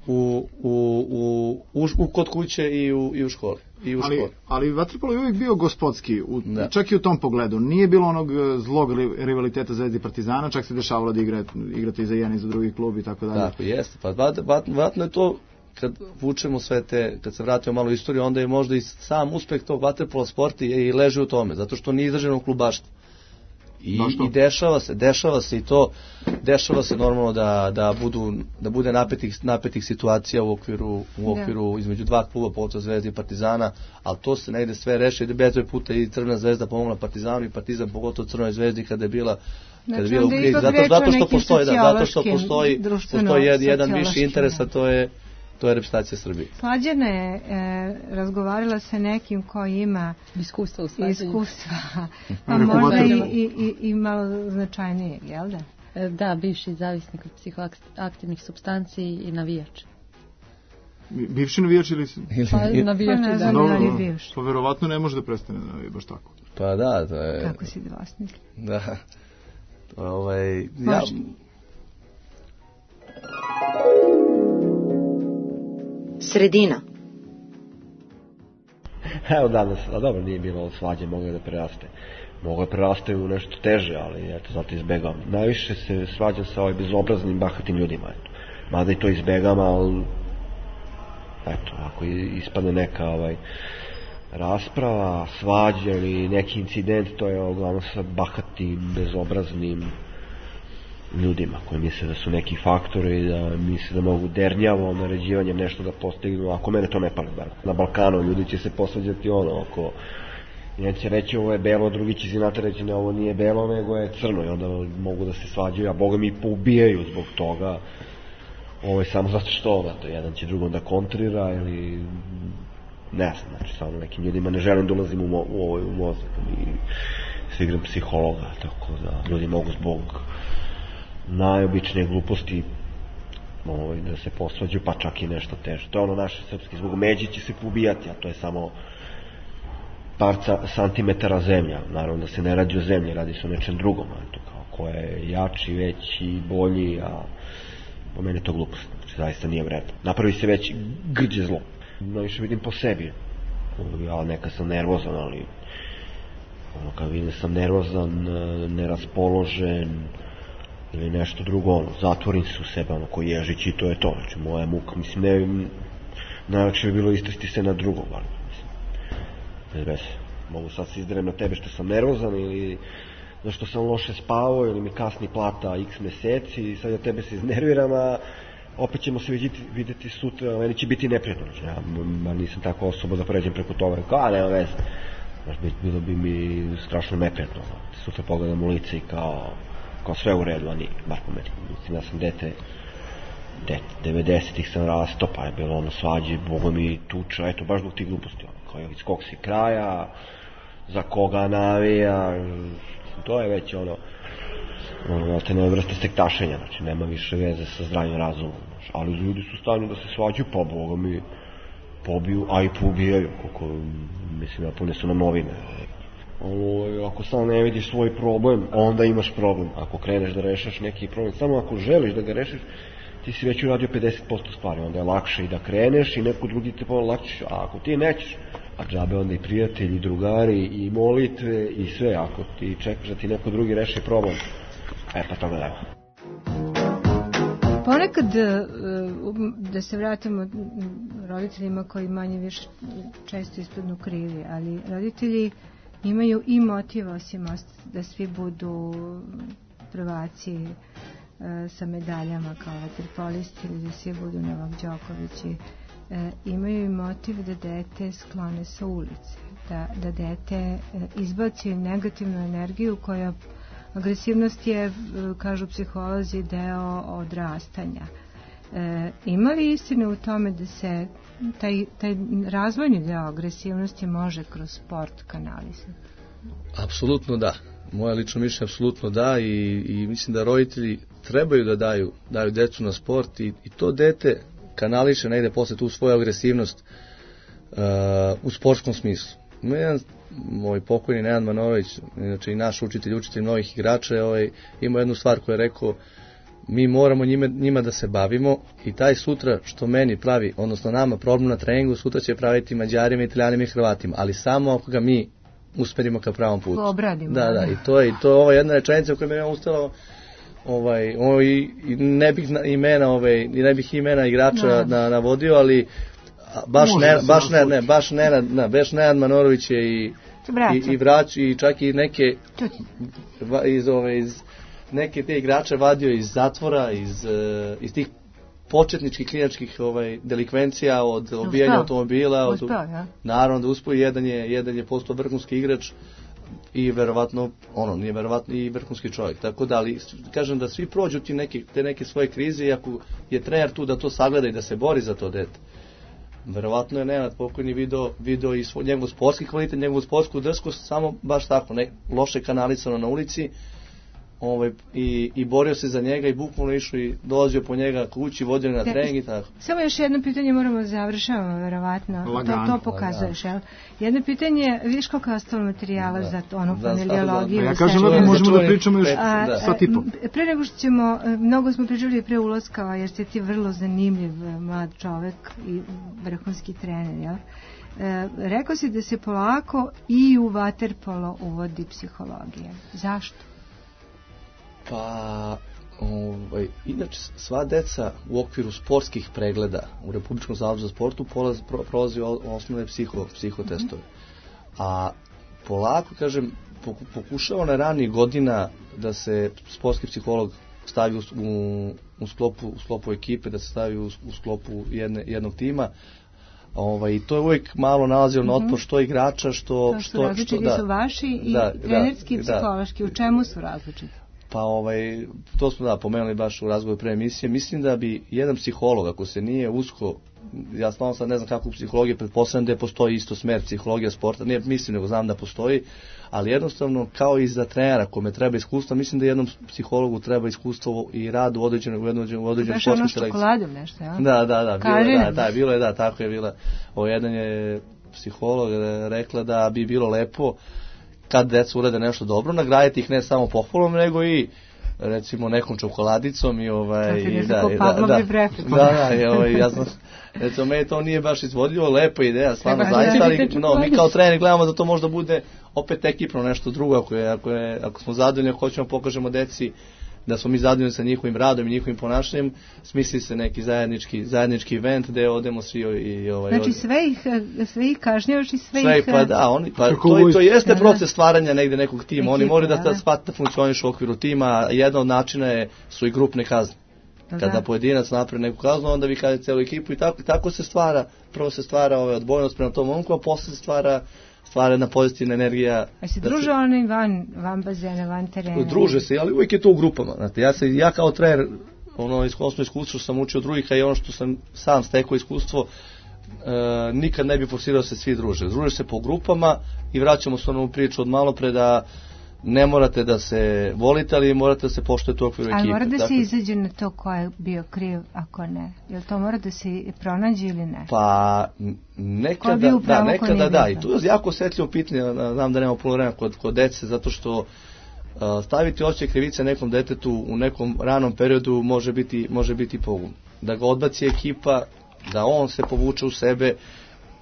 u, u, u, u, u kod kuće i u, i u školi. I u ali, školi. ali vaterpolo je uvijek bio gospodski, u, čak i u tom pogledu. Nije bilo onog zlog rivaliteta Zvezde i Partizana, čak se dešavalo da igrate, igrate i za jedan i za drugi klub i tako dalje. Tako, jeste. Pa vratno je to, kad vučemo sve te, kad se vratimo malo u istoriju, onda je možda i sam uspeh tog vaterpola sporta i leži u tome, zato što nije izraženo klubaštvo. I, I dešava se, dešava se i to, dešava se normalno da, da, budu, da bude napetih, napetih situacija u okviru, u okviru da. Između dva kluba, pogotovo Zvezde i Partizana, ali to se negde sve reši, da bezbroj puta i Crvena zvezda pomogla Partizanu i Partizan pogotovo Crvenoj zvezdi kada je bila kada je bila u krizi, zato, zato što postoji, da, zato što postoji, postoji jedan, jedan viši interes, a to je to je reprezentacija Srbije. Slađana je e, razgovarala sa nekim koji ima iskustva u slađanju. Iskustva, pa možda i, i, i malo značajnije, jel da? Da, bivši zavisnik od psihoaktivnih supstanci i navijač. Bivši navijač ili... Pa navijač Pa ne i znam da. da li je bivši. Pa verovatno ne može da prestane da navija baš tako. Pa da, to je... Kako si dvosmisli? Da. To je ovaj... Ja... Može. Sredina. Evo danas, a dobro, nije bilo svađe, moglo je da preraste. Moglo je preraste u nešto teže, ali eto, zato izbegavam. Najviše se svađam sa ovim bezobraznim, bahatim ljudima, eto. Mada i to izbegam, ali eto, ako ispadne neka ovaj, rasprava, svađa ili neki incident, to je uglavnom sa bahatim, bezobraznim ljudima koji misle da su neki faktori i da misle da mogu dernjavom naređivanjem nešto da postignu, ako mene to ne pali bar. Na Balkanu ljudi će se posvađati ono, ako jedan će reći ovo je belo, drugi će zinate reći ne, ovo nije belo, nego je crno i onda mogu da se svađaju, a boga mi poubijaju zbog toga. Ovo je samo zato što ovo, to jedan će drugom da kontrira ili ne znam, znači samo nekim ljudima ne želim da ulazim u, mo, u, ovoj, u mozak i se igram psihologa, tako da ljudi mogu zbog najobičnije gluposti ovaj, da se posvađaju, pa čak i nešto teže. To je ono naše srpski, zbog međe će se pobijati, a to je samo par santimetara zemlja. Naravno da se ne radi o zemlji, radi se o nečem drugom, to kao ko je jači, veći, bolji, a po mene to glupost, znači zaista nije vredno. Napravi se već grđe zlo. Najviše vidim po sebi. Ja neka sam nervozan, ali ono, kad vidim sam nervozan, neraspoložen ili nešto drugo, ono, zatvorim se u sebe, ono, ko ježić i to je to, znači moja muka, mislim, ne, najlakše bi bilo istresti se na drugo, ali, mislim, bez veze, mogu sad se izderem na tebe što sam nervozan ili zašto sam loše spavao ili mi kasni plata x meseci i sad ja tebe se iznerviram, a opet ćemo se vidjeti, vidjeti sutra, meni će biti neprijatno, znači ja nisam tako osoba da pređem preko toga, kao, a nema veze, znači bilo bi mi strašno neprijatno, sutra pogledam u lice i kao, kao sve u redu, a nije, bar po meni, mislim, ja sam dete, dete, devedesetih sam rasto, pa je bilo ono svađe, boga mi tuča, eto, baš zbog tih gluposti, ono, kao iz kog si kraja, za koga navija, to je već ono, ono, te ne vrste sektašenja, znači nema više veze sa zdravim razumom, znači, ali ljudi su stavljeni da se svađaju, pa boga mi pobiju, a i poubijaju, koliko, mislim, napune su nam novine. Ono, ako samo ne vidiš svoj problem, onda imaš problem. Ako kreneš da rešaš neki problem, samo ako želiš da ga rešiš, ti si već uradio pedeset posto stvari, onda je lakše i da kreneš i neko drugi te lakše, a ako ti nećeš, a džabe onda i prijatelji, i drugari, i molitve, i sve, ako ti čekaš da ti neko drugi reši problem, e pa toga nema. Ponekad, da se vratimo roditeljima koji manje više često ispadnu krivi, ali roditelji imaju i motiv osim da svi budu prvaci sa medaljama kao vaterpolisti ili da svi budu Novak Đokovići. Imaju i motiv da dete sklone sa ulice, da, da dete izbaci negativnu energiju koja, agresivnost je, kažu psiholozi, deo odrastanja. E, ima li istine u tome da se taj, taj razvojni deo agresivnosti može kroz sport kanalizati? Apsolutno da. Moje lično mišljenje apsolutno da i, i mislim da roditelji trebaju da daju, daju decu na sport i, i to dete kanališe negde posle tu svoju agresivnost uh, u sportskom smislu. Jedan, moj pokojni Nenad Manorović, inače i naš učitelj, učitelj mnogih igrača, ovaj, ima jednu stvar koju je rekao, mi moramo njime, njima da se bavimo i taj sutra što meni pravi, odnosno nama problem na treningu, sutra će praviti Mađarima, Italijanima i Hrvatima, ali samo ako ga mi usmerimo ka pravom putu. Obradimo. Da, da, i to je, i to je ova jedna rečenica u kojoj me ja ustala, ovaj, ovaj, i ne bih imena, ovaj, i ne bih imena igrača no. na, navodio, ali baš ne, baš ne, ne, baš ne, ne, baš Nenad Manorović je i i, i vrać i čak i neke iz ove iz neke te igrače vadio iz zatvora, iz iz tih početničkih kliničkih ovaj delikvencija od obijanja automobila, od uspao, ja. Naravno da uspeo, jedan je jedan je postao vrhunski igrač i verovatno ono nije verovatno i vrhunski čovjek. Tako da, ali kažem da svi prođu ti neke te neke svoje krize i ako je trener tu da to sagleda i da se bori za to dete. Verovatno je Nenad pokojni video, video i svoj, njegov sportski kvalitet, njegovu sportsku drskost, samo baš tako, ne, loše kanalisano na ulici, ovaj, i, i borio se za njega i bukvalno išao i dolazio po njega kući, vodio na trening i tako. Samo još jedno pitanje moramo da završavamo, verovatno. To, to pokazuješ, jel? Jedno pitanje, viš koliko je ostalo materijala da. za onu familiologiju. Ja kažem da možemo da pričamo još sat i po. Pre nego što ćemo, mnogo smo pričali pre ulaska, jer ste ti vrlo zanimljiv mlad čovek i vrhunski trener, jel? E, rekao si da se polako i u vaterpolo uvodi psihologija. Zašto? Pa, ovaj, inače sva deca u okviru sportskih pregleda u Republičkom zavodu za sportu prolazi, prolazi osnovne psiho, psihotestove. A polako, kažem, pokušava na ranijih godina da se sportski psiholog stavi u, u, u, sklopu, u sklopu ekipe, da se stavi u, u sklopu jedne, jednog tima. Ovaj, to je uvijek malo nalazilo na otpor što igrača, što... To što različiti su vaši i da, trenerski i psihološki. Da. U čemu su različiti? Pa ovaj, to smo da pomenuli baš u razgovoru pre emisije. Mislim da bi jedan psiholog, ako se nije usko, ja stvarno sad ne znam kako u psihologiji, pretpostavljam da postoji isto smer psihologija sporta, nije mislim nego znam da postoji, ali jednostavno kao i za trenera kome treba iskustvo, mislim da jednom psihologu treba iskustvo i rad u određenoj u određenoj određenoj sportskoj selekciji. Baš ono čokoladom nešto, ja? Da, da, da, bilo je, da, da, bilo je, da, tako je bila. O jedan je psiholog rekla da bi bilo lepo kad deca urade nešto dobro, nagraditi ih ne samo pohvalom, nego i recimo nekom čokoladicom i ovaj i da, da, da, da, da, da, ovaj, ja znam, recimo meni to nije baš izvodljivo, lepa ideja, stvarno zaista, ali no, mi kao treneri gledamo da to možda bude opet ekipno nešto drugo, ako je, ako je, ako smo zadovoljni, ako hoćemo pokažemo deci da smo mi zadovoljni sa njihovim radom i njihovim ponašanjem, smisli se neki zajednički zajednički event gde odemo svi i ovaj. Znači sve ih sve ih kažnjavaš i sve, sve ih pa da, oni pa to, to jeste proces stvaranja negde nekog tima. Oni moraju da da shvate da funkcionišu u okviru tima. Jedan od načina je su i grupne kazne. Kada pojedinac napravi neku kaznu, onda vi kažete celu ekipu i tako tako se stvara, prvo se stvara ovaj odbojnost prema tom momku, a posle se stvara stvara jedna pozitivna energija. A se druže oni van, van bazena, van terena? Druže se, ali uvijek je to u grupama. Znate, ja, se, ja kao trener, ono iskusno iskustvo sam učio drugih, a i ono što sam sam stekao iskustvo, e, nikad ne bi forsirao se svi druže. Druže se po grupama i vraćamo se onu priču od malo pre da ne morate da se volite, ali morate da se poštujete u okviru ekipe. Ali mora da se izađe na to ko je bio kriv, ako ne? Jel to mora da se pronađe ili ne? Pa nekada, da, nekada da. I tu je jako osjetljivo pitanje, znam da nema puno vremena kod, kod dece, zato što uh, staviti osjećaj krivice nekom detetu u nekom ranom periodu može biti, može biti pogubno. Da ga odbaci ekipa, da on se povuče u sebe.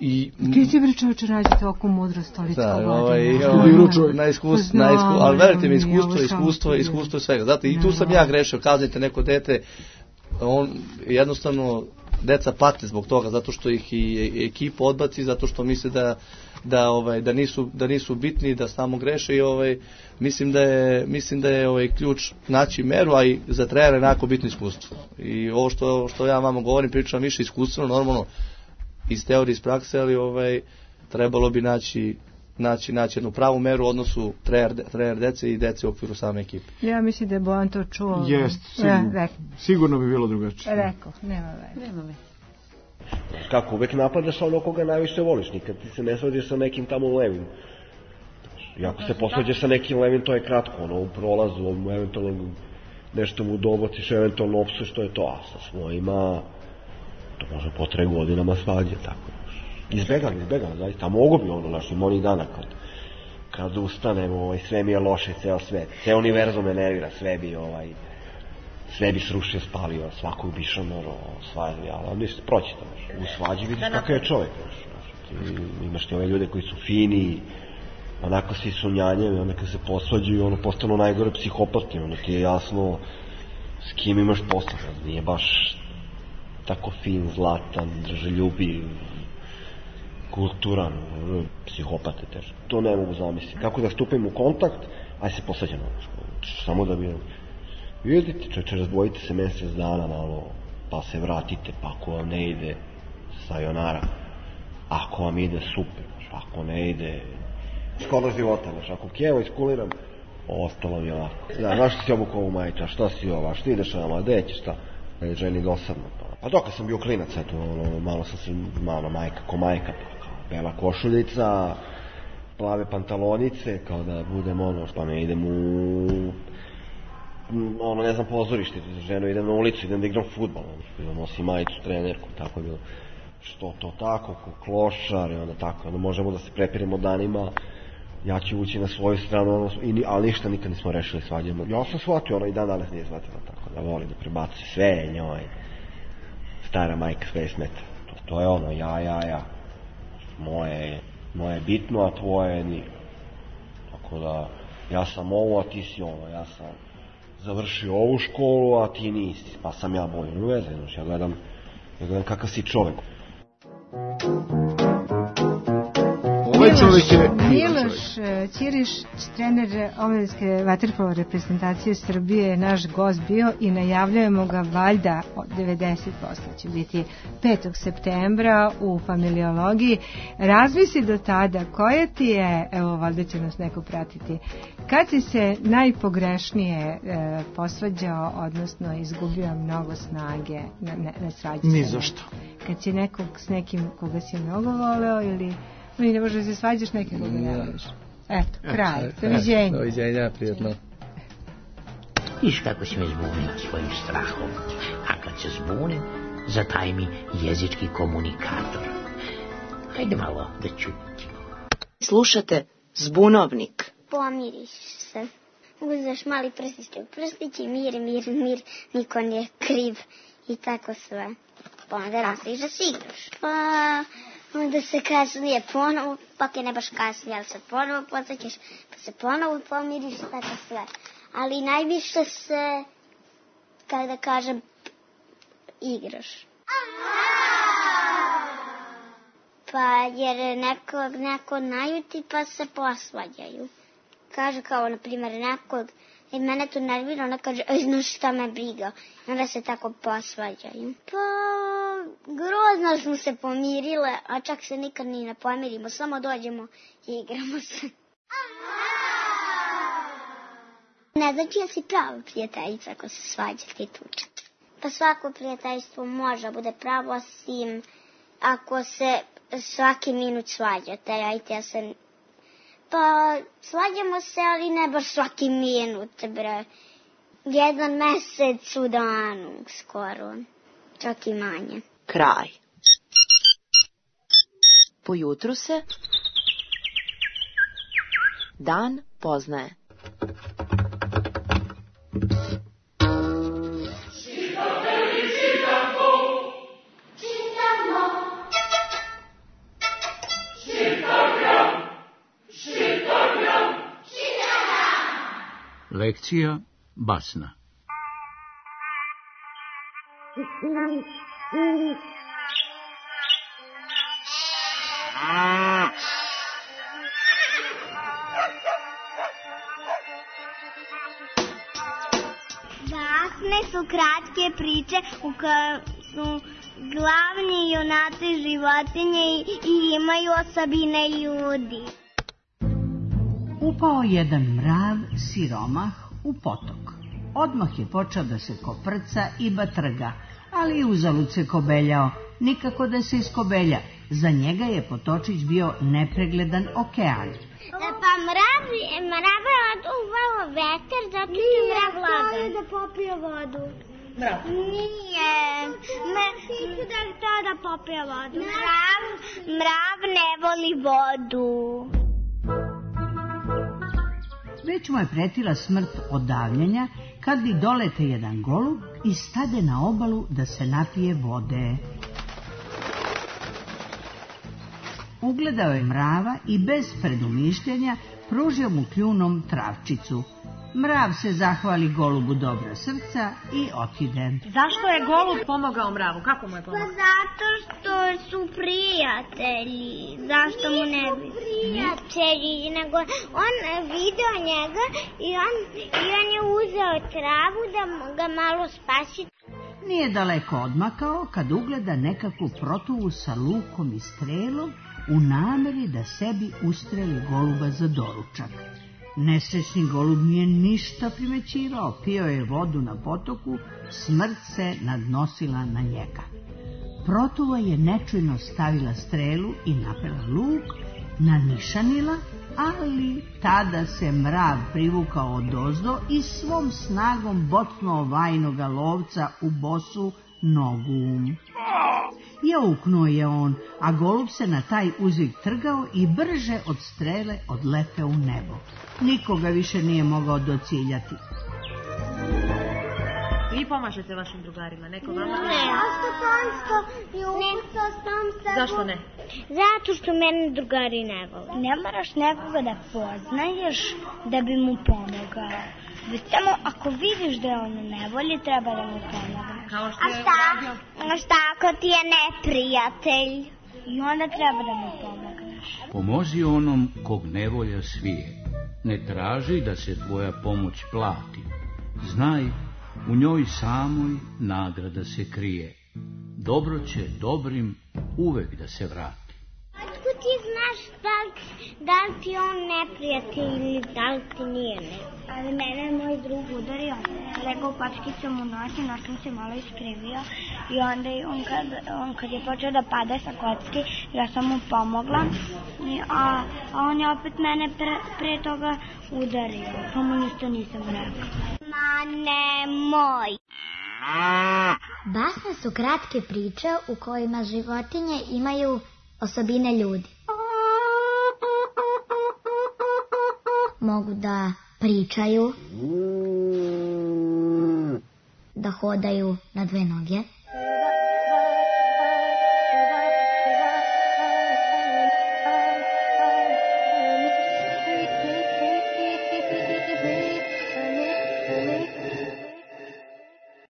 I ti si bre čovječe nađete ovako mudrost toliko godina. Ovaj, ovaj, na iskustvo, na iskustvo, ali verujte mi, iskustvo, iskustvo, iskustvo svega. Zato i tu sam ja grešio, kaznite neko dete, on jednostavno deca pate zbog toga, zato što ih i ekipa odbaci, zato što misle da da ovaj da nisu da nisu bitni, da samo greše i ovaj mislim da je mislim da je ovaj ključ naći meru, a i za trenera jednako bitno iskustvo. I ovo što što ja vama govorim, pričam više iskustveno, normalno iz teorije, iz prakse, ali ovaj, trebalo bi naći, naći, naći jednu pravu meru u odnosu trener, trener dece i dece u okviru same ekipe. Ja mislim da je Bojan to čuo. Jest, sigurno, ja, sigurno bi bilo drugačije. Rekao, nema veze. Nema veze. Kako, uvek napadaš ono koga najviše voliš, nikad ti se ne svađaš sa nekim tamo levim. I ako se posvađaš sa nekim levim, to je kratko, ono, u prolazu, eventualno nešto mu dobaciš, eventualno opsu, što je to, a sa svojima to može potraje godinama svađe, tako. Izbegam, izbegam, zaista, a mogu bi ono našim onih dana kad, kad ustanem, ovaj, sve mi je loše, ceo svet, ceo univerzum me nervira, sve bi, ovaj, sve bi srušio, spalio, svakog bi šamoro, svađi, ali ništa, proći to, u svađi vidiš kakav je čovjek, ti, imaš ti ove ljude koji su fini, onako svi su njanjevi, onda kad se posvađaju, ono, postanu najgore psihopati, ono ti je jasno s kim imaš posla, nije baš tako fin, zlatan, drželjubiv, kulturan, psihopate teže. To ne mogu zamisliti. Kako da stupim u kontakt, aj se posvađamo. Samo da bi vidite, čeče, razdvojite se mjesec dana malo, pa se vratite, pa ako vam ne ide, sayonara. Ako vam ide, super. Ako ne ide, škoda života. Ako kjevo iskuliram, ostalo mi ovako. Da, znaš što si obukao ovu majiča, šta si ova, što ideš nama, gde ćeš, šta? Je ženi dosadno. Pa dok sam bio klinac, eto, ono, malo sam se, malo majka, ko majka, pa kao bela košuljica, plave pantalonice, kao da budem ono, pa ne idem u ono, ne znam, pozorište, ženo, idem na ulicu, idem da igram fudbal, ono, nosim majicu, trenerku, tako je bilo. Što to tako, ko klošar, i onda tako, onda možemo da se prepiremo danima, ja ću ući na svoju stranu, ono, i, ali ništa nikad nismo rešili, svađamo. Ja sam shvatio, ono, i dan danas nije shvatila tako, da voli da prebaci sve njoj, stara majka, sve smeta. To, to je ono, ja, ja, ja. Moje, moje je bitno, a tvoje ni. Tako da, ja sam ovo, a ti si ono, ja sam završio ovu školu, a ti nisi, pa sam ja bolji. Ne veze, znači, ja gledam, ja gledam kakav si čovek. Ovaj čovjek je Miloš Ćiriš, trener omladinske vaterpolo reprezentacije Srbije, je naš gost bio i najavljujemo ga valjda od devedeset posto će biti petog septembra u familiologiji. Razmisli do tada koja ti je, evo valjda će nas neko pratiti, kad si se najpogrešnije e, posvađao, odnosno izgubio mnogo snage na, na, na svađi? Ni zašto. Kad si nekog s nekim koga si mnogo voleo ili mi ne možeš da se svađaš nekog koga ne voliš? Eto, kraj. Doviđenja. Doviđenja, prijatno. Viš kako si me zbunio svojim strahom, a kad se zbunim, zataj mi jezički komunikator. Hajde malo da čutimo. Slušate Zbunovnik. Pomiriš se. Uzmeš mali prstić u prstić i mir, mir, mir, niko nije kriv i tako sve. Pa onda nastaviš da si igraš. Pa onda se kasnije ponovo, pak je ne baš kasnije, ali se ponovo podsjećaš, pa se ponovo pomiriš i tako sve. Ali najviše se, kako da kažem, igraš. Pa jer nekog neko najuti pa se posvađaju. Kaže kao, na primjer, nekog, i mene to nervira, ona kaže, ej, znaš šta me briga. I onda se tako posvađaju. Pa, grozno smo se pomirile, a čak se nikad ni ne pomirimo, samo dođemo i igramo se. Ne znači ja si prava prijateljica ako se svađate i tučete. Pa svako prijateljstvo može bude pravo, osim ako se svaki minut svađate, ajte ja se... Pa svađamo se, ali ne baš svaki minut, bre. Jedan mesec u danu, skoro. Čak i manje. Kraj. Po jutru se dan poznaje. Lekcija basna. Basne su kratke priče u kojoj su glavni junaci životinje i, i imaju osobine ljudi. Upao jedan mrav siromah u potok. Odmah je počeo da se koprca i batrga, ali uzalud se kobeljao, nikako da se iskobelja. Za njega je potočić bio nepregledan okean. Pa mrav, mrav je oduvao veter, zato je mrav lagan. Da popije vodu. Mrav? Nije. Me, Nisu da je to da popije vodu. Mrav, mrav ne voli vodu. Već mu je pretila smrt od davljenja, kad bi dolete jedan golub i stade na obalu da se napije vode. Ugledao je mrava i bez predumišljanja pružio mu kljunom travčicu. Mrav se zahvali golubu dobra srca i otide. Zašto je golub pomogao mravu? Kako mu je pomogao? Pa zato što su prijatelji. Zašto mu ne bi? Prijatelji. Nego on video njega i on, i on je uzeo travu da ga malo spasi. Nije daleko odmakao kad ugleda nekakvu protuvu sa lukom i strelom u nameri da sebi ustreli goluba za doručak. Nesrećni golub nije ništa primećivao, pio je vodu na potoku, smrt se nadnosila na njega. Protuva je nečujno stavila strelu i napela luk, nanišanila ali tada se mrav privukao odozdo i svom snagom bocnuo vajnoga lovca u bosu nogu. Jauknuo je on, a golub se na taj uzvik trgao i brže od strele odleteo u nebo. Nikoga više nije mogao dociljati. Vi pomažete vašim drugarima, neko vama? Ne, a što tansko i umjesto sam se... Zašto ne? Zato što mene drugari ne vole. Ne moraš nekoga da poznaješ da bi mu pomogao. Već samo ako vidiš da je on ne voli, treba da mu pomogneš. Kao što a je šta? radio... A šta ako ti je neprijatelj? I onda treba da mu pomogneš. Pomozi onom kog nevolja svije. Ne traži da se tvoja pomoć plati. Znaj, u njoj samoj nagrada se krije. Dobro će dobrim uvek da se vrati. Otko ti znaš da li, da li ti on neprijatelj ili da li ti nije neprijatelj? Ali mene je moj drug udario. Legao pačkicom u nos i nos sam se malo iskrivio. I onda je on kad, on kad je počeo da pada sa kocki, ja sam mu pomogla. I, a, a on je opet mene pre, pre toga udario. Pa mu ništa nisam rekao. Ma nemoj! Basne su kratke priče u kojima životinje imaju osobine ljudi. Mogu da pričaju, da hodaju na dve noge,